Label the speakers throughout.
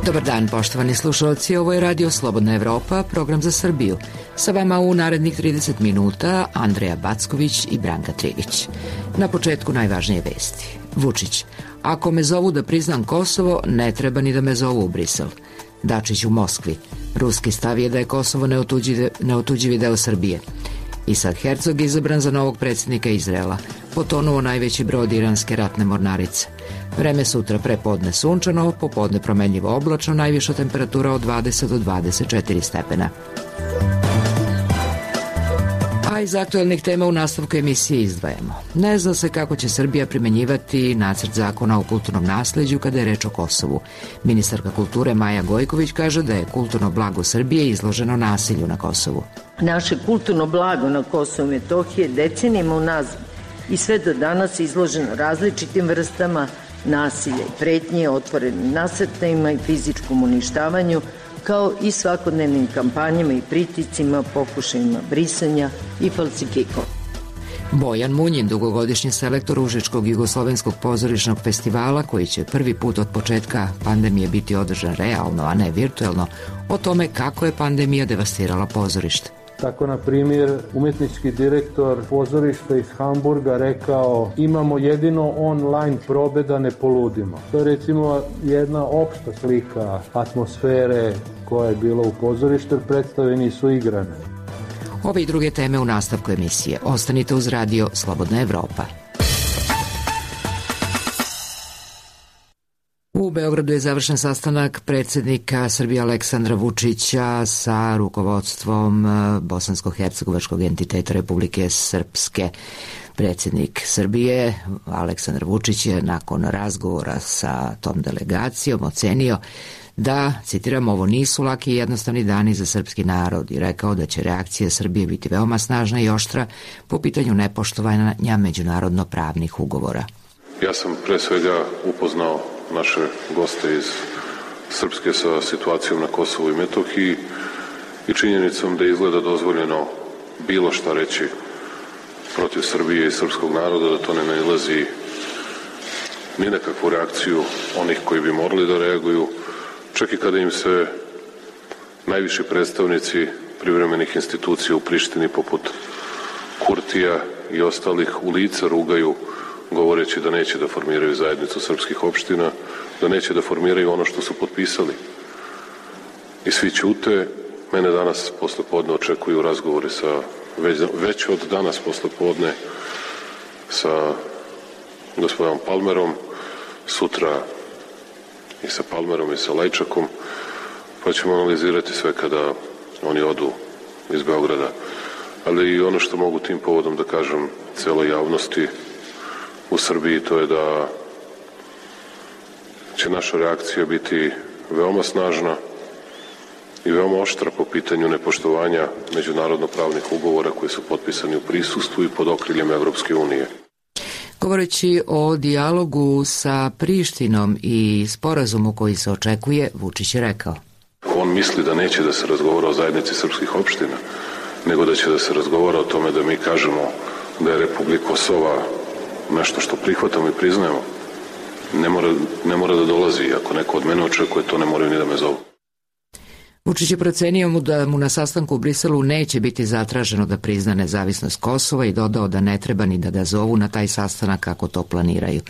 Speaker 1: Dobar dan, poštovani slušalci, ovo je Radio Slobodna Evropa, program za Srbiju. Sa vama u narednih 30 minuta Andreja Backović i Branka Trivić. Na početku najvažnije vesti. Vučić: ako me zovu da priznam Kosovo, ne treba ni da me zovu u Brisel. Dačić u Moskvi: ruski stav je da je Kosovo neotuđivi deo Srbije. Isad Herzog izabran za novog predsjednika Izraela. Potonuo najveći brod iranske ratne mornarice. Vreme sutra: prepodne sunčano, popodne promenljivo oblačno, najviša temperatura od 20 do 24 stepena. A iz aktuelnih tema u nastavku emisije izdvajamo: ne zna se kako će Srbija primenjivati nacrt zakona o kulturnom nasleđu kada je reč o Kosovu. Ministarka kulture Maja Gojković kaže da je kulturno blago Srbije izloženo nasilju na Kosovu.
Speaker 2: Naše kulturno blago na Kosovu i Metohiji decenijama unazad i sve do danas izloženo različitim vrstama nasilja i pretnje, otvorenim nasrtajima i fizičkom uništavanju, kao i svakodnevnim kampanjama i pritiscima, pokušajima brisanja i falsifikova.
Speaker 1: Bojan Munjin, dugogodišnji selektor Užičkog jugoslovenskog pozorišnog festivala, koji će prvi put od početka pandemije biti održan realno, a ne virtuelno, o tome kako je pandemija devastirala pozorište.
Speaker 3: Tako, na primjer, umjetnički direktor pozorišta iz Hamburga rekao: imamo jedino online probe da ne poludimo. To je recimo jedna opšta slika atmosfere koja je bila u pozorištu, predstave nisu igrane.
Speaker 1: Ove i druge teme u nastavku emisije. Ostanite uz Radio Slobodna Evropa. U Beogradu je završen sastanak predsjednika Srbije Aleksandra Vučića sa rukovodstvom bosansko-hercegovačkog entiteta Republike Srpske. Predsjednik Srbije Aleksandar Vučić je nakon razgovora sa tom delegacijom ocenio da, citiram, ovo nisu laki i jednostavni dani za srpski narod i rekao da će reakcija Srbije biti veoma snažna i oštra po pitanju nepoštovanja međunarodno pravnih ugovora.
Speaker 4: Ja sam pre svega upoznao naše goste iz Srpske sa situacijom na Kosovu i Metohiji i činjenicom da izgleda dozvoljeno bilo šta reći protiv Srbije i srpskog naroda, da to ne nailazi ni nekakvu reakciju onih koji bi morali da reaguju, čak i kada im se najviši predstavnici privremenih institucija u Prištini poput Kurtija i ostalih u lica rugaju, govoreći da neće da formiraju zajednicu srpskih opština, da neće da formiraju ono što su potpisali. I svi ćute. Mene danas poslepodne očekuju razgovori sa, već od danas poslepodne, sa gospodinom Palmerom, sutra i sa Palmerom i sa Lajčakom, pa ćemo analizirati sve kada oni odu iz Beograda. Ali i ono što mogu tim povodom da kažem celoj javnosti u Srbiji, to je da će naša reakcija biti veoma snažna i veoma oštra po pitanju nepoštovanja međunarodno-pravnih ugovora koji su potpisani u prisustvu i pod okriljem Evropske unije.
Speaker 1: Govoreći o dijalogu sa Prištinom i sporazumu koji se očekuje, Vučić je rekao:
Speaker 4: on misli da neće da se razgovara o zajednici srpskih opština, nego da će da se razgovara o tome da mi kažemo da je Republika Kosova nešto što prihvatamo i priznajemo. Ne mora da dolazi. Ako neko od mene očekuje, to ne moraju ni da me zovu.
Speaker 1: Vučić je procenio da mu na sastanku u Briselu neće biti zatraženo da prizna nezavisnost Kosova i dodao da ne treba ni da ga zovu na taj sastanak kako to planiraju.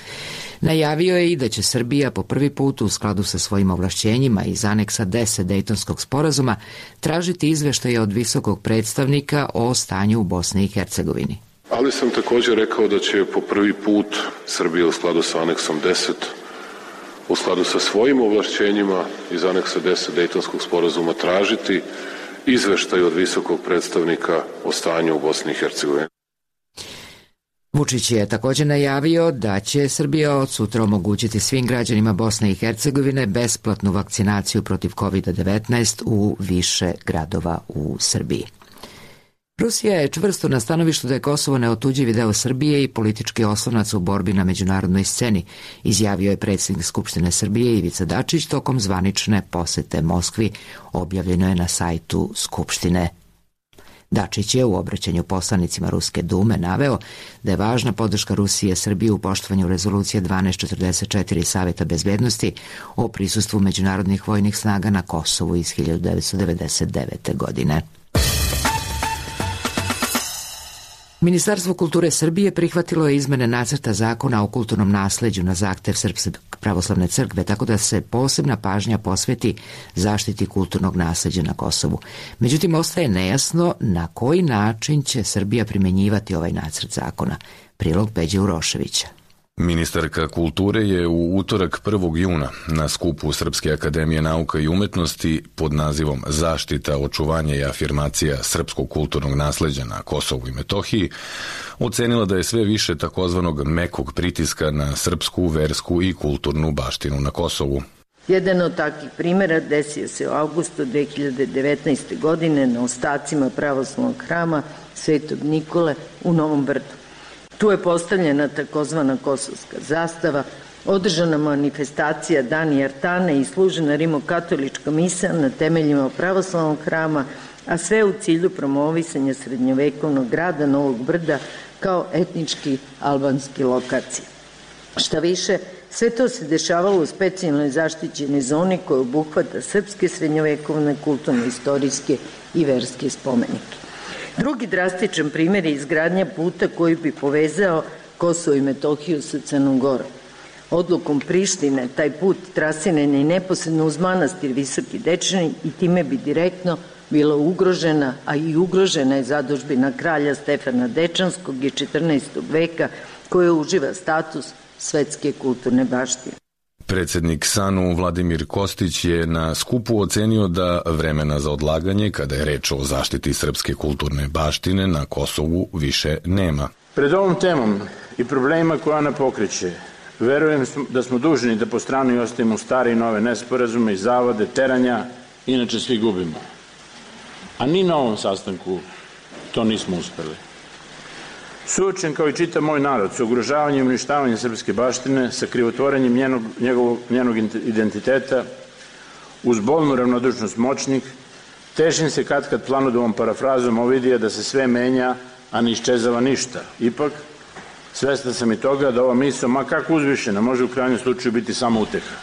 Speaker 1: Najavio je i da će Srbija po prvi put u skladu sa svojim ovlašćenjima iz aneksa 10 Dejtonskog sporazuma tražiti izveštaje od visokog predstavnika o stanju u Bosni i Hercegovini.
Speaker 4: Ali sam također rekao da će po prvi put Srbija u skladu sa aneksom 10, u skladu sa svojim ovlašćenjima iz aneksa 10 Dejtonskog sporazuma tražiti izveštaj od visokog predstavnika o stanju u Bosni i Hercegovini.
Speaker 1: Vučić je također najavio da će Srbija od sutra omogućiti svim građanima Bosne i Hercegovine besplatnu vakcinaciju protiv COVID-19 u više gradova u Srbiji. Rusija je čvrsto na stanovištu da je Kosovo neotuđivi deo Srbije i politički oslonac u borbi na međunarodnoj sceni, izjavio je predsjednik Skupštine Srbije Ivica Dačić tokom zvanične posete Moskvi, objavljeno je na sajtu Skupštine. Dačić je u obraćanju poslanicima Ruske dume naveo da je važna podrška Rusije Srbiji u poštovanju rezolucije 1244 Saveta bezbednosti o prisustvu međunarodnih vojnih snaga na Kosovu iz 1999. godine. Ministarstvo kulture Srbije prihvatilo je izmene nacrta zakona o kulturnom nasleđu na zahtev Srpske pravoslavne crkve, tako da se posebna pažnja posveti zaštiti kulturnog nasleđa na Kosovu. Međutim, ostaje nejasno na koji način će Srbija primenjivati ovaj nacrt zakona. Prilog Peđe Uroševića.
Speaker 5: Ministarka kulture je u utorak 1. juna na skupu Srpske akademije nauka i umetnosti pod nazivom Zaštita, očuvanje i afirmacija srpskog kulturnog nasleđa na Kosovu i Metohiji ocenila da je sve više takozvanog mekog pritiska na srpsku, versku i kulturnu baštinu na Kosovu.
Speaker 2: Jedan od takvih primjera desio se u avgustu 2019. godine na ostacima pravoslavnog hrama Svetog Nikole u Novom Brdu. Tu je postavljena takozvana kosovska zastava, održana manifestacija Dani Artane i služena rimokatolička misa na temeljima pravoslavnog hrama, a sve u cilju promovisanja srednjovekovnog grada Novog Brda kao etnički albanski lokacije. Šta više, sve to se dešavalo u specijalnoj zaštićenoj zoni koja obuhvata srpske srednjovekovne kulturno-istorijske i verske spomenike. Drugi drastičan primjer je izgradnja puta koji bi povezao Kosovo i Metohiju sa Crnom Gorom. Odlukom Prištine taj put trasiran je neposredno uz manastir Visoki Dečani i time bi direktno bila ugrožena, a i ugrožena je zadužbina kralja Stefana Dečanskog iz 14. veka koja uživa status svetske kulturne baštine.
Speaker 5: Predsednik SANU Vladimir Kostić je na skupu ocenio da vremena za odlaganje, kada je reč o zaštiti srpske kulturne baštine na Kosovu, više nema.
Speaker 6: Pred ovom temom i problemima koje ona pokreće, verujem da smo dužni da po strani ostavimo stare i nove nesporazume i zavode, teranja, inače svi gubimo. A ni na ovom sastanku to nismo uspeli. Suočen kao i čitav moj narod sa ugrožavanjem i uništavanjem srpske baštine, sa krivotvorenjem njenog identiteta, uz bolnu ravnodušnost moćnih, težim se kad planudovom parafrazom Ovidija da se sve menja, a ne iščezava ništa. Ipak, svestan sam i toga da ova misao, ma kako uzvišena, može u krajnjem slučaju biti samo uteha.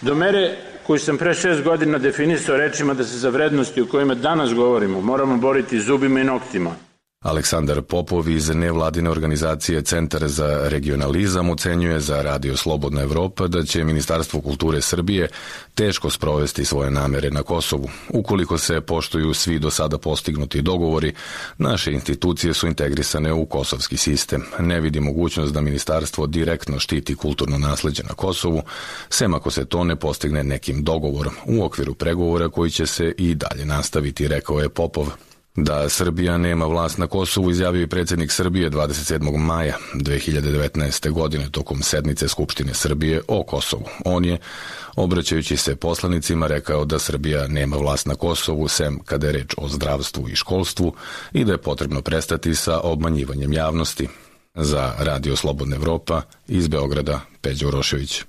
Speaker 6: Do mere koju sam pre 6 godina definisao rečima da se za vrednosti o kojima danas govorimo moramo boriti zubima i noktima.
Speaker 5: Aleksandar Popov iz nevladine organizacije Centar za regionalizam ocenjuje za Radio Slobodna Evropa da će Ministarstvo kulture Srbije teško sprovesti svoje namere na Kosovu. Ukoliko se poštuju svi do sada postignuti dogovori, naše institucije su integrisane u kosovski sistem. Ne vidi mogućnost da ministarstvo direktno štiti kulturno nasleđe na Kosovu, sem ako se to ne postigne nekim dogovorom u okviru pregovora koji će se i dalje nastaviti, rekao je Popov. Da Srbija nema vlast na Kosovu izjavio i predsjednik Srbije 27. maja 2019. godine tokom sednice Skupštine Srbije o Kosovu. On je, obraćajući se poslanicima, rekao da Srbija nema vlast na Kosovu, sem kada je reč o zdravstvu i školstvu i da je potrebno prestati sa obmanjivanjem javnosti. Za Radio Slobodna Evropa iz Beograda, Peđa Urošević.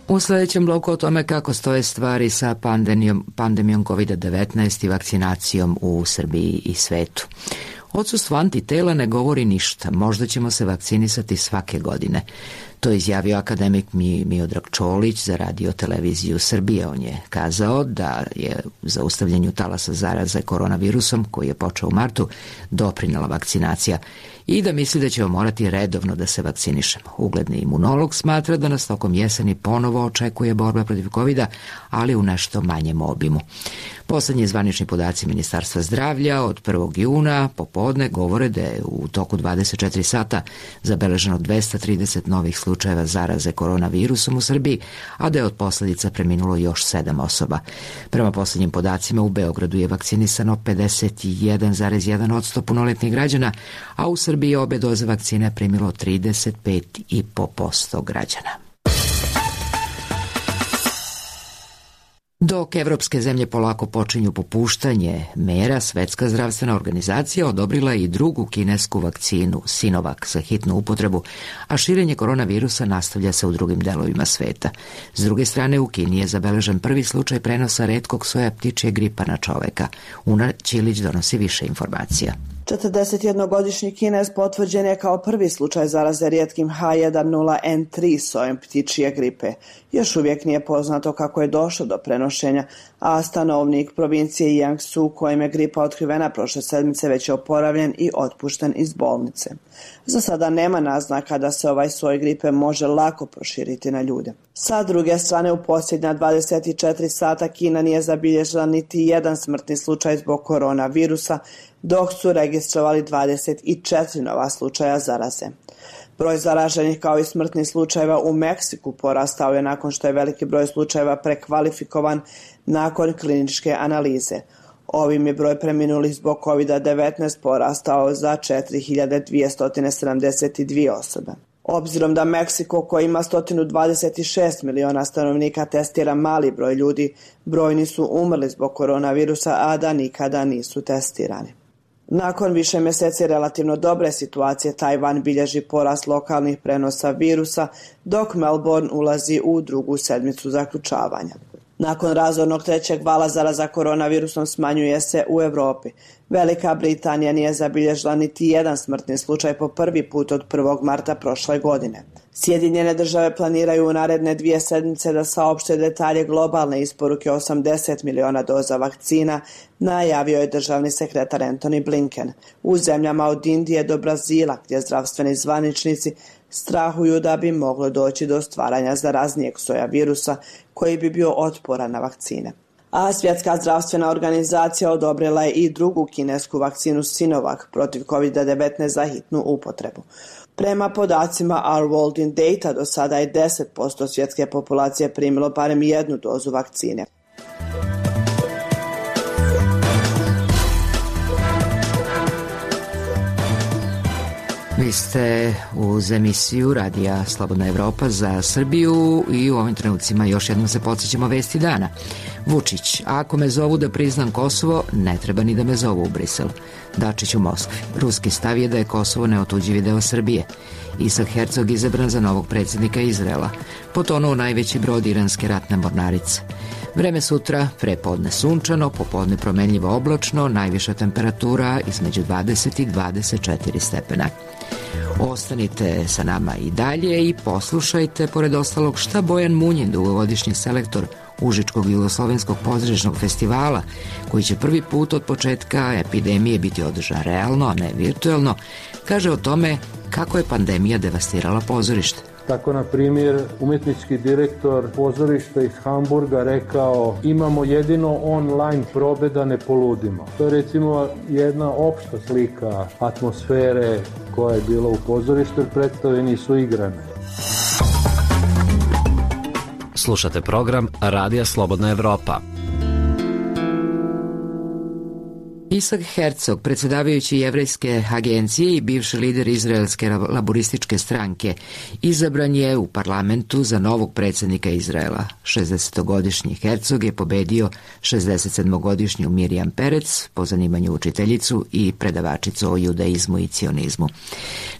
Speaker 1: U sljedećem bloku o tome kako stoje stvari sa pandemijom COVID-19 i vakcinacijom u Srbiji i svetu. Odsustvo antitela ne govori ništa, možda ćemo se vakcinisati svake godine. To je izjavio akademik Miodrag Čolić za Radio televiziju Srbije. On je kazao da je u zaustavljanju talasa zaraze koronavirusom, koji je počeo u martu, doprinela vakcinacija i da misli da ćemo morati redovno da se vakcinišemo. Ugledni imunolog smatra da nas tokom jeseni ponovo očekuje borba protiv COVID-a, ali u nešto manjem obimu. Poslednji zvanični podaci Ministarstva zdravlja od 1. juna popodne govore da je u toku 24 sata zabeleženo 230 novih slučajeva zaraze koronavirusom u Srbiji, a da je od posljedica preminulo još 7 osoba. Prema poslednjim podacima u Beogradu je vakcinisano 51,1% punoletnih građana, a u Srbiji je obe doze vakcine primilo 35,5% građana. Dok evropske zemlje polako počinju popuštanje mera, Svetska zdravstvena organizacija odobrila i drugu kinesku vakcinu Sinovac za hitnu upotrebu, a širenje koronavirusa nastavlja se u drugim delovima sveta. S druge strane, u Kini je zabeležen prvi slučaj prenosa retkog soja ptičje gripa na čoveka. Una Ćilić donosi više informacija.
Speaker 7: 41-godišnji Kinez potvrđen je kao prvi slučaj zaraze rijetkim H1N1 sojem ptičje gripe. Još uvijek nije poznato kako je došlo do prenošenja, a stanovnik provincije Jiangsu, kojem je gripa otkrivena prošle sedmice, već je oporavljen i otpušten iz bolnice. Za sada nema naznaka da se ovaj soj gripe može lako proširiti na ljude. Sa druge strane, u posljednja 24 sata Kina nije zabilježila niti jedan smrtni slučaj zbog koronavirusa, dok su registrovali 24 nova slučaja zaraze. Broj zaraženih kao i smrtnih slučajeva u Meksiku porastao je nakon što je veliki broj slučajeva prekvalifikovan nakon kliničke analize. Ovim je broj preminulih zbog COVID-19 porastao za 4272 osobe. Obzirom da Meksiko, koji ima 126 miliona stanovnika, testira mali broj ljudi, brojni su umrli zbog koronavirusa, a da nikada nisu testirani. Nakon više mjeseci relativno dobre situacije, Tajvan bilježi porast lokalnih prenosa virusa, dok Melbourne ulazi u drugu sedmicu zaključavanja. Nakon razornog trećeg vala zaraza koronavirusom smanjuje se u Europi. Velika Britanija nije zabilježila niti jedan smrtni slučaj po prvi put od 1. marta prošle godine. Sjedinjene države planiraju u naredne 2 sedmice da saopšte detalje globalne isporuke 80 miliona doza vakcina, najavio je državni sekretar Antony Blinken. U zemljama od Indije do Brazila, gdje zdravstveni zvaničnici strahuju da bi moglo doći do stvaranja zaraznijeg soja virusa koji bi bio otporan na vakcine. A Svjetska zdravstvena organizacija odobrila je i drugu kinesku vakcinu Sinovac protiv COVID-19 za hitnu upotrebu. Prema podacima Our World in Data, do sada je 10% svjetske populacije primilo barem jednu dozu vakcine.
Speaker 1: Vi ste uz emisiju Radija Slobodna Evropa za Srbiju i u ovim trenucima još jednom se podsjećamo vesti dana. Vučić: ako me zovu da priznam Kosovo, ne treba ni da me zovu u Brisel. Dačić u Moskvi: ruski stav je da je Kosovo neotuđivi deo Srbije. Isak Hercog izabran za novog predsjednika Izraela. Potonuo najveći brod iranske ratne mornarice. Vreme sutra: prepodne sunčano, popodne promenljivo oblačno, najviša temperatura između 20 i 24 stepena. Ostanite sa nama i dalje i poslušajte, pored ostalog, šta Bojan Munjin, dugogodišnji selektor Užičkog jugoslovenskog pozorišnog festivala, koji će prvi put od početka epidemije biti održan realno, a ne virtuelno, kaže o tome kako je pandemija devastirala pozorište.
Speaker 3: Tako, na primjer, umjetnički direktor pozorišta iz Hamburga rekao: imamo jedino online probe da ne poludimo. To je recimo jedna opšta slika atmosfere koja je bila u pozorištu, jer predstave nisu igrane.
Speaker 8: Slušate program Radija Slobodna Evropa.
Speaker 1: Isak Hercog, predsjedavajući Jevrejske agencije i bivši lider izraelske laborističke stranke, izabran je u parlamentu za novog predsjednika Izraela. 60-godišnji Hercog je pobedio 67-godišnju Mirjam Perec, po zanimanju učiteljicu i predavačicu o judaizmu i cionizmu.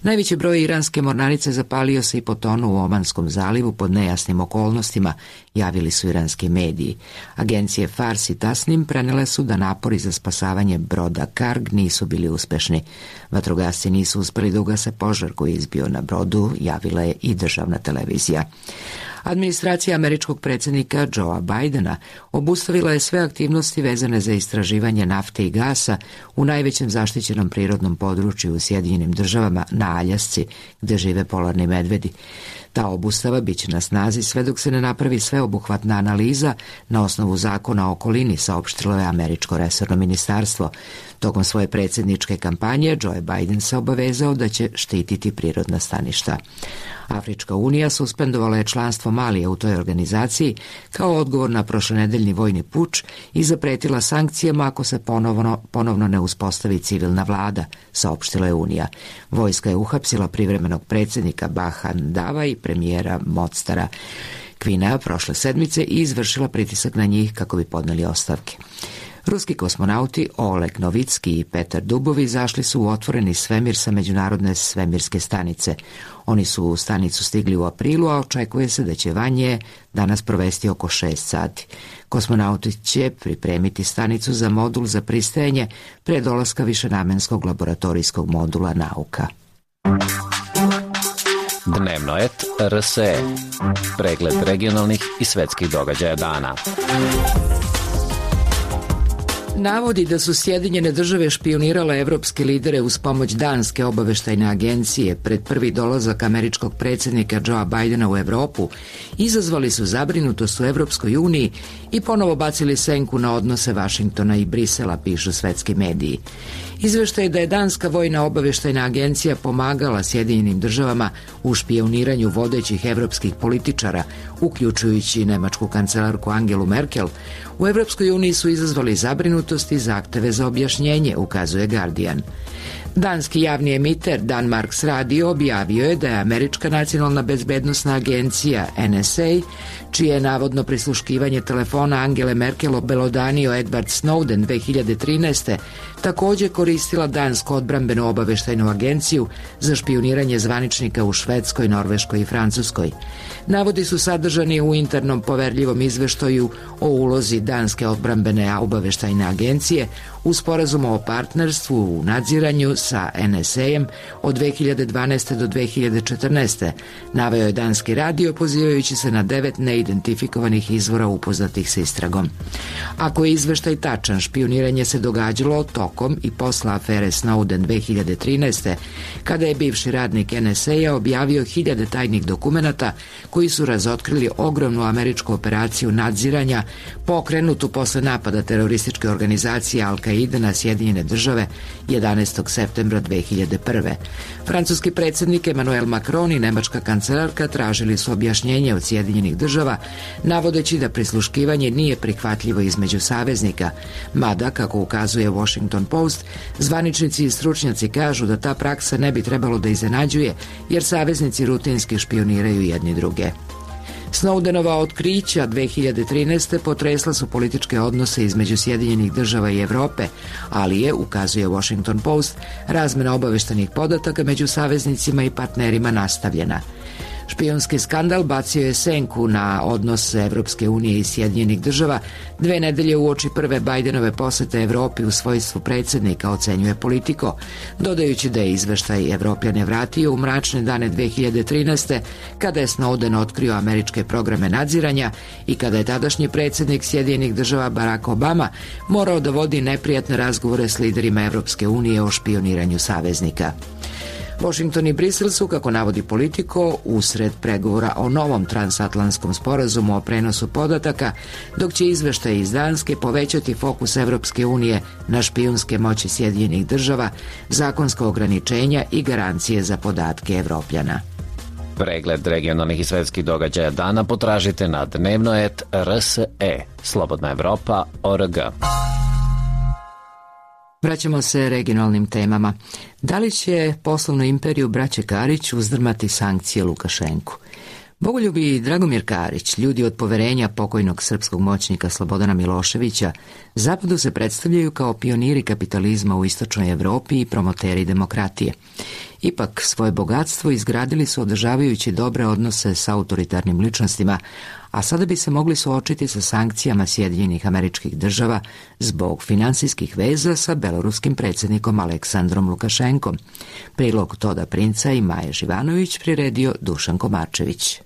Speaker 1: Najveći broj iranske mornarice zapalio se i potonuo u Omanskom zalivu pod nejasnim okolnostima, javili su iranski mediji. Agencije Fars i Tasnim prenele su da napori za spasavanje broda Karg nisu bili uspešni. Vatrogasci nisu uspeli da ugase požar koji je izbio na brodu, javila je i državna televizija. Administracija američkog predsjednika Joea Bidena obustavila je sve aktivnosti vezane za istraživanje nafte i gasa u najvećem zaštićenom prirodnom području u Sjedinjenim Državama, na Aljasci, gde žive polarni medvedi. Ta obustava biće na snazi sve dok se ne napravi sveobuhvatna analiza na osnovu zakona o okolini, saopštilo je američko resorno ministarstvo. Tokom svoje predsjedničke kampanje Joe Biden se obavezao da će štititi prirodna staništa. Afrička unija suspendovala je članstvo Malija u toj organizaciji kao odgovor na prošlonedeljni vojni puč i zapretila sankcijama ako se ponovno ne uspostavi civilna vlada, saopštila je Unija. Vojska je uhapsila privremenog predsjednika Bahan Dava i premijera Mostara. Kvina prošle sedmice i izvršila pritisak na njih kako bi podneli ostavke. Ruski kosmonauti Oleg Novicki i Petar Dubov izašli su u otvoreni svemir sa međunarodne svemirske stanice. Oni su u stanicu stigli u aprilu, a očekuje se da će vanje danas provesti oko 6 sati. Kosmonauti će pripremiti stanicu za modul za pristajanje pre dolaska višenamenskog laboratorijskog modula nauka.
Speaker 8: Dnevno et RSE. Pregled regionalnih i svetskih događaja dana.
Speaker 1: Navodi da su Sjedinjene države špionirale evropske lidere uz pomoć Danske obaveštajne agencije pred prvi dolazak američkog predsjednika Joea Bidena u Evropu izazvali su zabrinutost u Evropskoj uniji i ponovo bacili senku na odnose Vašingtona i Brisela, pišu svetski mediji. Izveštaj da je Danska vojna obaveštajna agencija pomagala Sjedinjenim državama u špioniranju vodećih evropskih političara, uključujući nemačku kancelarku Angelu Merkel, u Evropskoj uniji su izazvali zabrinutost i zahteve za objašnjenje, ukazuje Guardian. Danski javni emiter Danmarks Radio objavio je da je Američka nacionalna bezbednosna agencija NSA, čije je navodno prisluškivanje telefona Angele Merkel obelodanio Edward Snowden 2013. također koristila Dansku odbrambenu obaveštajnu agenciju za špioniranje zvaničnika u Švedskoj, Norveškoj i Francuskoj. Navodi su sadržani u internom poverljivom izveštaju o ulozi Danske odbrambene obaveštajne agencije u sporazumu o partnerstvu u nadziranju sa NSA-em od 2012. do 2014. Naveo je Danski radio pozivajući se na 9 neidentifikovanih izvora upoznatih s istragom. Ako je izveštaj tačan, špioniranje se događalo tokom i posle afere Snowden 2013. kada je bivši radnik NSA objavio 1000 tajnih dokumenata koji su razotkrili ogromnu američku operaciju nadziranja pokrenutu posle napada terorističke organizacije Al-Qaida na Sjedinjene države 11. septembra 2001. Francuski predsjednik Emmanuel Macron i nemačka kancelarka tražili su objašnjenje od Sjedinjenih država, navodeći da prisluškivanje nije prihvatljivo između saveznika, mada, kako ukazuje Washington Post, zvaničnici i stručnjaci kažu da ta praksa ne bi trebalo da iznenađuje, jer saveznici rutinski špioniraju jedni druge. Snowdenova otkrića 2013. potresla su političke odnose između Sjedinjenih država i Evrope, ali je, ukazuje Washington Post, razmena obaveštenih podataka među saveznicima i partnerima nastavljena. Špijunski skandal bacio je senku na odnose Evropske unije i Sjedinjenih država 2 nedelje uoči prve Bidenove posete Evropi u svojstvu predsjednika, ocenjuje Politico, dodajući da je izveštaj Evropljane vratio u mračne dane 2013. kada je Snowden otkrio američke programe nadziranja i kada je tadašnji predsjednik Sjedinjenih država Barack Obama morao da vodi neprijatne razgovore s liderima Evropske unije o špioniranju saveznika. Washington i Brisel su, kako navodi Politico, usred pregovora o novom transatlantskom sporazumu o prenosu podataka, dok će izveštaj iz Danske povećati fokus Evropske unije na špijunske moći Sjedinjenih država, zakonska ograničenja i garancije za podatke Evropljana.
Speaker 8: Pregled regionalnih i svetskih događaja dana potražite na dnevnoet.rse, Slobodna Evropa.org.
Speaker 1: Vraćamo se regionalnim temama. Da li će poslovnu imperiju braće Karić uzdrmati sankcije Lukašenku? Bogoljubi Dragomir Karić, ljudi od poverenja pokojnog srpskog moćnika Slobodana Miloševića, Zapadu se predstavljaju kao pioniri kapitalizma u istočnoj Evropi i promoteri demokratije. Ipak, svoje bogatstvo izgradili su održavajući dobre odnose sa autoritarnim ličnostima, a sada bi se mogli suočiti sa sankcijama Sjedinjenih Američkih Država zbog finansijskih veza sa beloruskim predsjednikom Aleksandrom Lukašenkom. Prilog Toda Princa i Maje Živanović priredio Dušan Komarčević.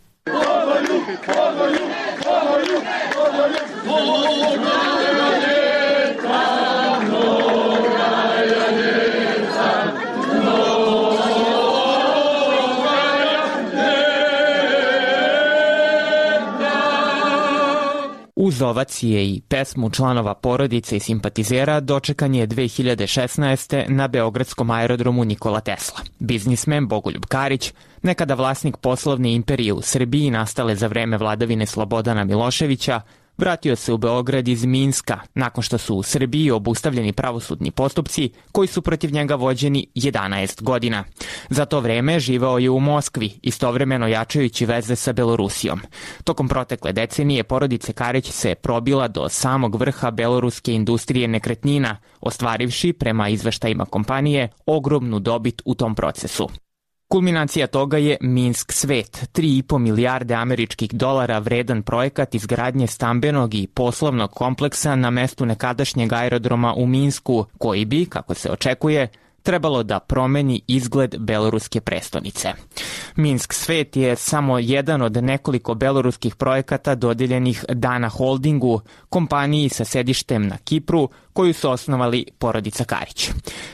Speaker 9: Uz ovacije i pesmu članova porodice i simpatizera dočekan je 2016. na beogradskom aerodromu Nikola Tesla. Biznismen Bogoljub Karić, nekada vlasnik poslovne imperije u Srbiji nastale za vreme vladavine Slobodana Miloševića, vratio se u Beograd iz Minska nakon što su u Srbiji obustavljeni pravosudni postupci koji su protiv njega vođeni 11 godina. Za to vreme živeo je u Moskvi, istovremeno jačajući veze sa Belorusijom. Tokom protekle decenije porodica Karić se probila do samog vrha beloruske industrije nekretnina, ostvarivši, prema izveštajima kompanije, ogromnu dobit u tom procesu. Kulminacija toga je Minsk Svet, 3,5 milijarde američkih dolara vredan projekat izgradnje stambenog i poslovnog kompleksa na mestu nekadašnjeg aerodroma u Minsku, koji bi, kako se očekuje, trebalo da promeni izgled beloruske prestonice. Minsk Svet je samo jedan od nekoliko beloruskih projekata dodeljenih Dana Holdingu, kompaniji sa sedištem na Kipru, koju su osnovali porodica Karić.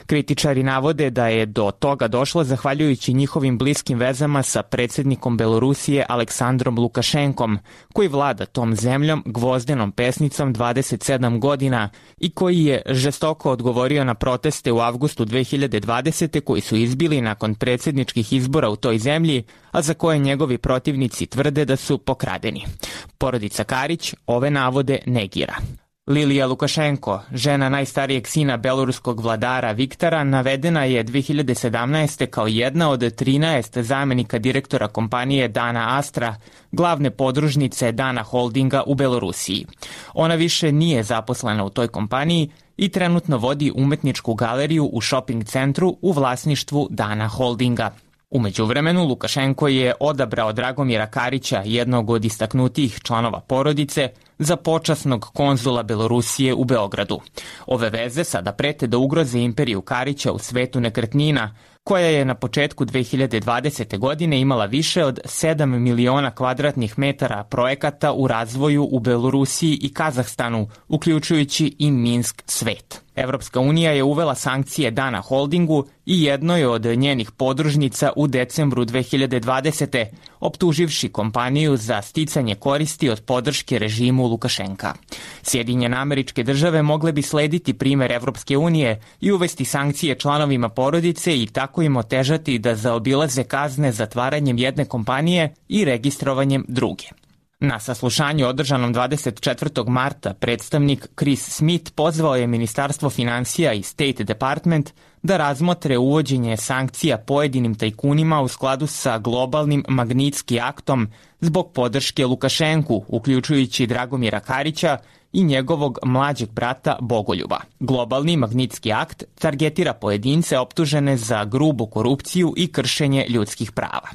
Speaker 9: Kritičari navode da je do toga došlo zahvaljujući njihovim bliskim vezama sa predsjednikom Belorusije Aleksandrom Lukašenkom, koji vlada tom zemljom gvozdenom pesnicom 27 godina i koji je žestoko odgovorio na proteste u avgustu 2020. koji su izbili nakon predsjedničkih izbora u toj zemlji, a za koje njegovi protivnici tvrde da su pokradeni. Porodica Karić ove navode negira. Lilija Lukašenko, žena najstarijeg sina beloruskog vladara Viktora, navedena je 2017. kao jedna od 13 zamenika direktora kompanije Dana Astra, glavne podružnice Dana Holdinga u Belorusiji. Ona više nije zaposlena u toj kompaniji i trenutno vodi umetničku galeriju u shopping centru u vlasništvu Dana Holdinga. U međuvremenu, Lukašenko je odabrao Dragomira Karića, jednog od istaknutijih članova porodice, za počasnog konzula Belorusije u Beogradu. Ove veze sada prete da ugroze imperiju Karića u svetu nekretnina, koja je na početku 2020. godine imala više od 7 miliona kvadratnih metara projekata u razvoju u Belorusiji i Kazahstanu, uključujući i Minsk Svet. Evropska unija je uvela sankcije Dana Holdingu i jednoj od njenih podružnica u decembru 2020. optuživši kompaniju za sticanje koristi od podrške režimu Lukašenka. Sjedinjene Američke Države mogle bi slediti primer Evropske unije i uvesti sankcije članovima porodice i tako im otežati da zaobilaze kazne zatvaranjem jedne kompanije i registrovanjem druge. Na saslušanju održanom 24. marta predstavnik Chris Smith pozvao je Ministarstvo finansija i State Department da razmotre uvođenje sankcija pojedinim tajkunima u skladu sa globalnim Magnitski aktom zbog podrške Lukašenku, uključujući Dragomira Karića i njegovog mlađeg brata Bogoljuba. Globalni Magnitski akt targetira pojedince optužene za grubu korupciju i kršenje ljudskih prava.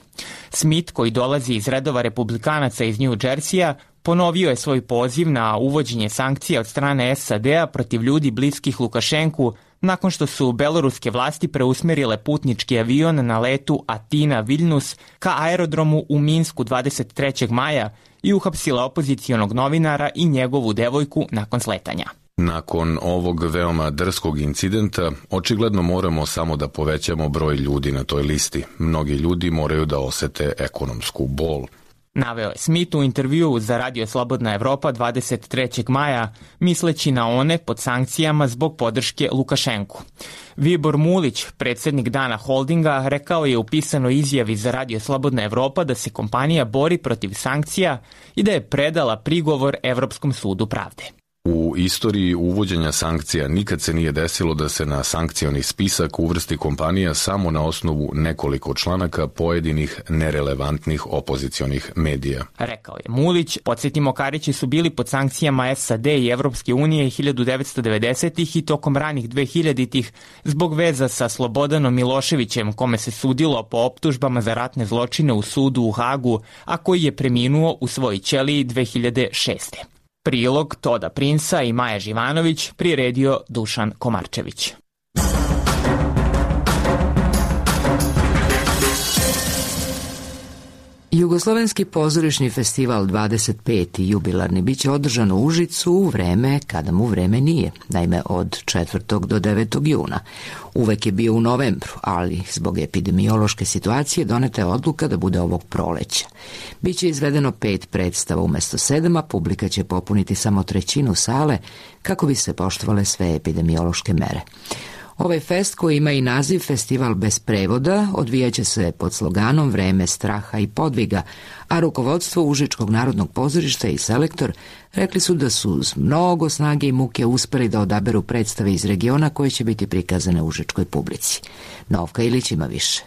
Speaker 9: Smith, koji dolazi iz redova republikanaca iz New Jerseya, ponovio je svoj poziv na uvođenje sankcija od strane SAD-a protiv ljudi bliskih Lukašenku nakon što su beloruske vlasti preusmerile putnički avion na letu Atina-Viljnus ka aerodromu u Minsku 23. maja i uhapsila opozicionog novinara i njegovu devojku nakon sletanja.
Speaker 5: Nakon ovog veoma drskog incidenta, očigledno moramo samo da povećamo broj ljudi na toj listi. Mnogi ljudi moraju da osete ekonomsku bol.
Speaker 9: Naveo je Smith u intervjuu za Radio Slobodna Evropa 23. maja, misleći na one pod sankcijama zbog podrške Lukašenku. Vibor Mulić, predsjednik Dana Holdinga, rekao je u pisanoj izjavi za Radio Slobodna Evropa da se kompanija bori protiv sankcija i da je predala prigovor Evropskom sudu pravde.
Speaker 5: U istoriji uvođenja sankcija nikad se nije desilo da se na sankcioni spisak uvrsti kompanija samo na osnovu nekoliko članaka pojedinih nerelevantnih opozicionih medija.
Speaker 9: Rekao je Mulić. Podsjetimo, Karići su bili pod sankcijama SAD i Evropske unije 1990-ih i tokom ranih 2000-ih zbog veza sa Slobodanom Miloševićem, kome se sudilo po optužbama za ratne zločine u sudu u Hagu, a koji je preminuo u svojoj ćeliji 2006. Prilog Toda Prinsa i Maja Živanović priredio Dušan Komarčević.
Speaker 1: Jugoslovenski pozorišni festival 25. jubilarni biće održan u Užicu u vreme kada mu vreme nije, naime od 4. do 9. juna. Uvek je bio u novembru, ali zbog epidemiološke situacije doneta je odluka da bude ovog proleća. Biće izvedeno 5 predstava umjesto 7, a publika će popuniti samo trećinu sale kako bi se poštovale sve epidemiološke mere. Ovaj fest, koji ima i naziv Festival bez prevoda, odvijaće se pod sloganom Vreme straha i podviga, a rukovodstvo Užičkog narodnog pozorišta i selektor rekli su da su uz mnogo snage i muke uspeli da odaberu predstave iz regiona koje će biti prikazane užičkoj publici. Novka Ilić ima više.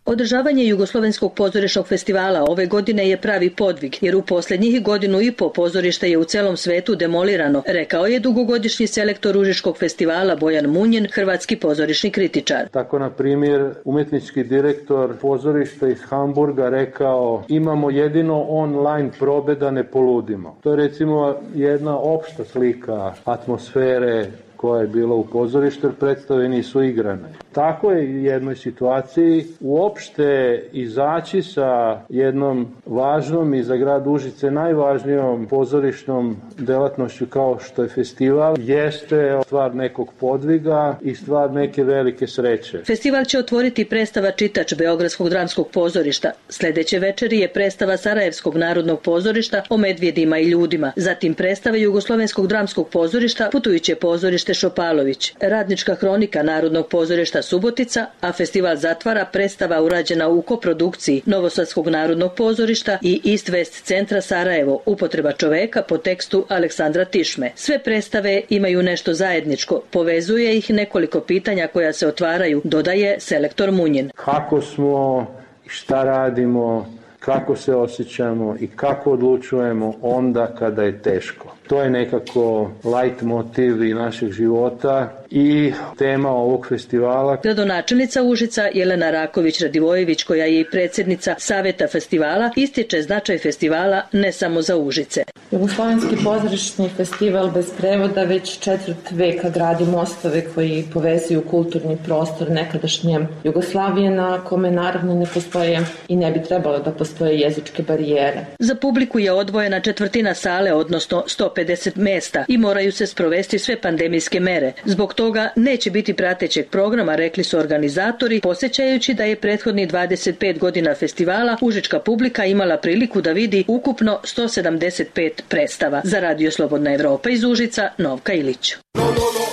Speaker 10: Održavanje Jugoslovenskog pozorišnog festivala ove godine je pravi podvig, jer u posljednjih godinu i po pozorište je u celom svetu demolirano, rekao je dugogodišnji selektor Užičkog festivala Bojan Munjin, hrvatski pozorišni kritičar.
Speaker 3: Tako, na primjer, umetnički direktor pozorišta iz Hamburga rekao: imamo jedino online probe da ne poludimo. To je recimo jedna opšta slika atmosfere koja je bila u pozorištu, jer predstave nisu igrane. Tako je u jednoj situaciji uopšte izaći sa jednom važnom i za grad Užice najvažnijom pozorišnom delatnošću kao što je festival, jeste stvar nekog podviga i stvar neke velike sreće.
Speaker 10: Festival će otvoriti predstava Čitač Beogradskog dramskog pozorišta. Sljedeće večeri je predstava Sarajevskog narodnog pozorišta o medvjedima i ljudima. Zatim predstava Jugoslovenskog dramskog pozorišta Putujuće pozorište Šopalović, Radnička hronika Narodnog pozorišta Subotica, a festival zatvara predstava urađena u koprodukciji Novosadskog narodnog pozorišta i East West centra Sarajevo, Upotreba čoveka po tekstu Aleksandra Tišme. Sve predstave imaju nešto zajedničko, povezuje ih nekoliko pitanja koja se otvaraju, dodaje selektor Munjin.
Speaker 3: Kako smo i šta radimo, kako se osjećamo i kako odlučujemo onda kada je teško. To je nekako light motiv i našeg života i tema ovog festivala.
Speaker 10: Gradonačelnica Užica Jelena Raković-Radivojević, koja je i predsjednica Saveta festivala, ističe značaj festivala ne samo za Užice.
Speaker 11: Jugoslovenski pozorišni festival bez prevoda već četvrt veka gradi mostove koji povezuju kulturni prostor nekadašnje Jugoslavije, na kome naravno ne postoje i ne bi trebalo da postoje jezičke barijere.
Speaker 10: Za publiku je odvojena četvrtina sale, odnosno 150 mesta, i moraju se sprovesti sve pandemijske mere. Zbog toga neće biti pratećeg programa, rekli su organizatori, podsjećajući da je prethodnih 25 godina festivala užička publika imala priliku da vidi ukupno 175 predstava. Za Radio Slobodna Evropa iz Užica, Novka Ilić.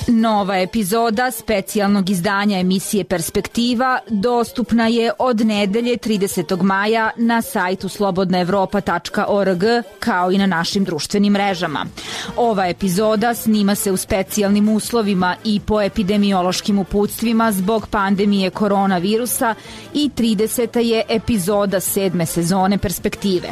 Speaker 12: Nova epizoda specijalnog izdanja emisije Perspektiva dostupna je od nedelje 30. maja na sajtu slobodnaevropa.org, kao i na našim društvenim mrežama. Ova epizoda snima se u specijalnim uslovima i po epidemiološkim uputstvima zbog pandemije koronavirusa i 30. je epizoda 7. sezone Perspektive.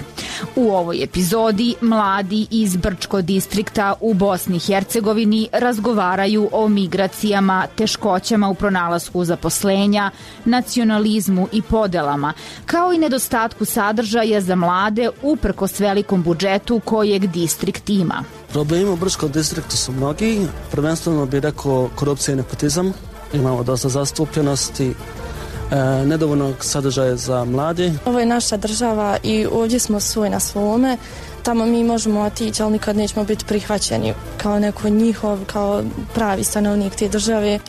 Speaker 12: U ovoj epizodi mladi iz Brčko distrikta u Bosni i Hercegovini razgovaraju o migracijama, teškoćama u pronalasku zaposlenja, nacionalizmu i podelama, kao i nedostatku sadržaja za mlade uprkos velikom budžetu kojeg distrikt ima.
Speaker 13: Problemi u Brčkom distriktu su mnogi, prvenstveno bih rekao korupcija i nepotizam. Imamo dosta zastupljenosti, nedovoljno sadržaja za mlade.
Speaker 14: Ovo je naša država i ovdje smo svoj na svome. Tamo mi možemo otići, ali nikad nećemo biti prihvaćeni kao neko njihov, kao pravi stanovnik te države.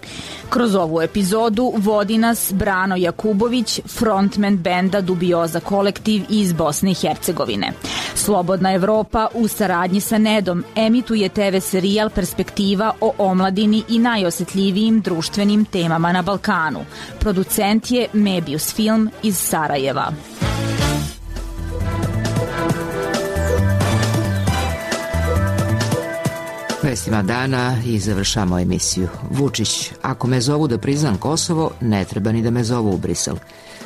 Speaker 12: Kroz ovu epizodu vodi nas Brano Jakubović, frontman benda Dubioza kolektiv iz Bosne i Hercegovine. Slobodna Evropa u saradnji sa Nedom emituje TV serijal Perspektiva o omladini i najosjetljivijim društvenim temama na Balkanu. Producent je Mebius Film iz Sarajeva.
Speaker 1: Vestima dana i završamo emisiju. Vučić: ako me zovu da priznam Kosovo, ne treba ni da me zovu u Brisel.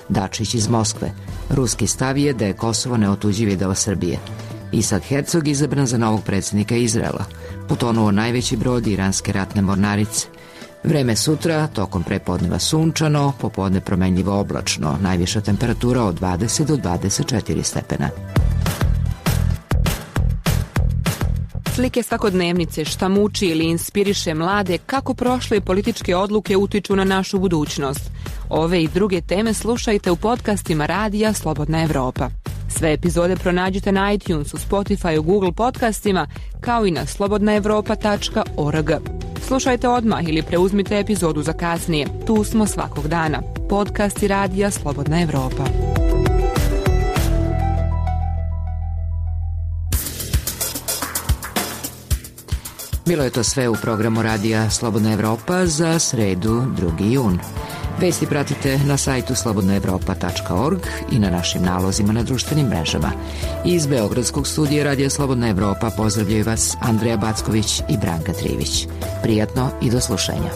Speaker 1: Dačić iz Moskve: ruski stav je da je Kosovo neotuđivi deo Srbije. Isak Herzog izabran za novog predsjednika Izraela. Potonuo najveći brod iranske ratne mornarice. Vreme sutra, tokom prepodneva sunčano, popodne promenljivo oblačno, najviša temperatura od 20 do 24 stepena.
Speaker 15: Slike svakodnevnice, šta muči ili inspiriše mlade, kako prošle političke odluke utiču na našu budućnost. Ove i druge teme slušajte u podcastima Radija Slobodna Evropa. Sve epizode pronađite na iTunesu, Spotify, Google podcastima, kao i na slobodnaevropa.org. Slušajte odmah ili preuzmite epizodu za kasnije. Tu smo svakog dana. Podcasti Radija Slobodna Evropa.
Speaker 1: Bilo je to sve u programu radija Slobodna Evropa za sredu 2. jun. Vesti pratite na sajtu slobodnaevropa.org i na našim nalozima na društvenim mrežama. Iz Beogradskog studija Radija Slobodna Evropa pozdravljaju vas Andreja Backović i Branka Trivić. Prijatno i do slušanja.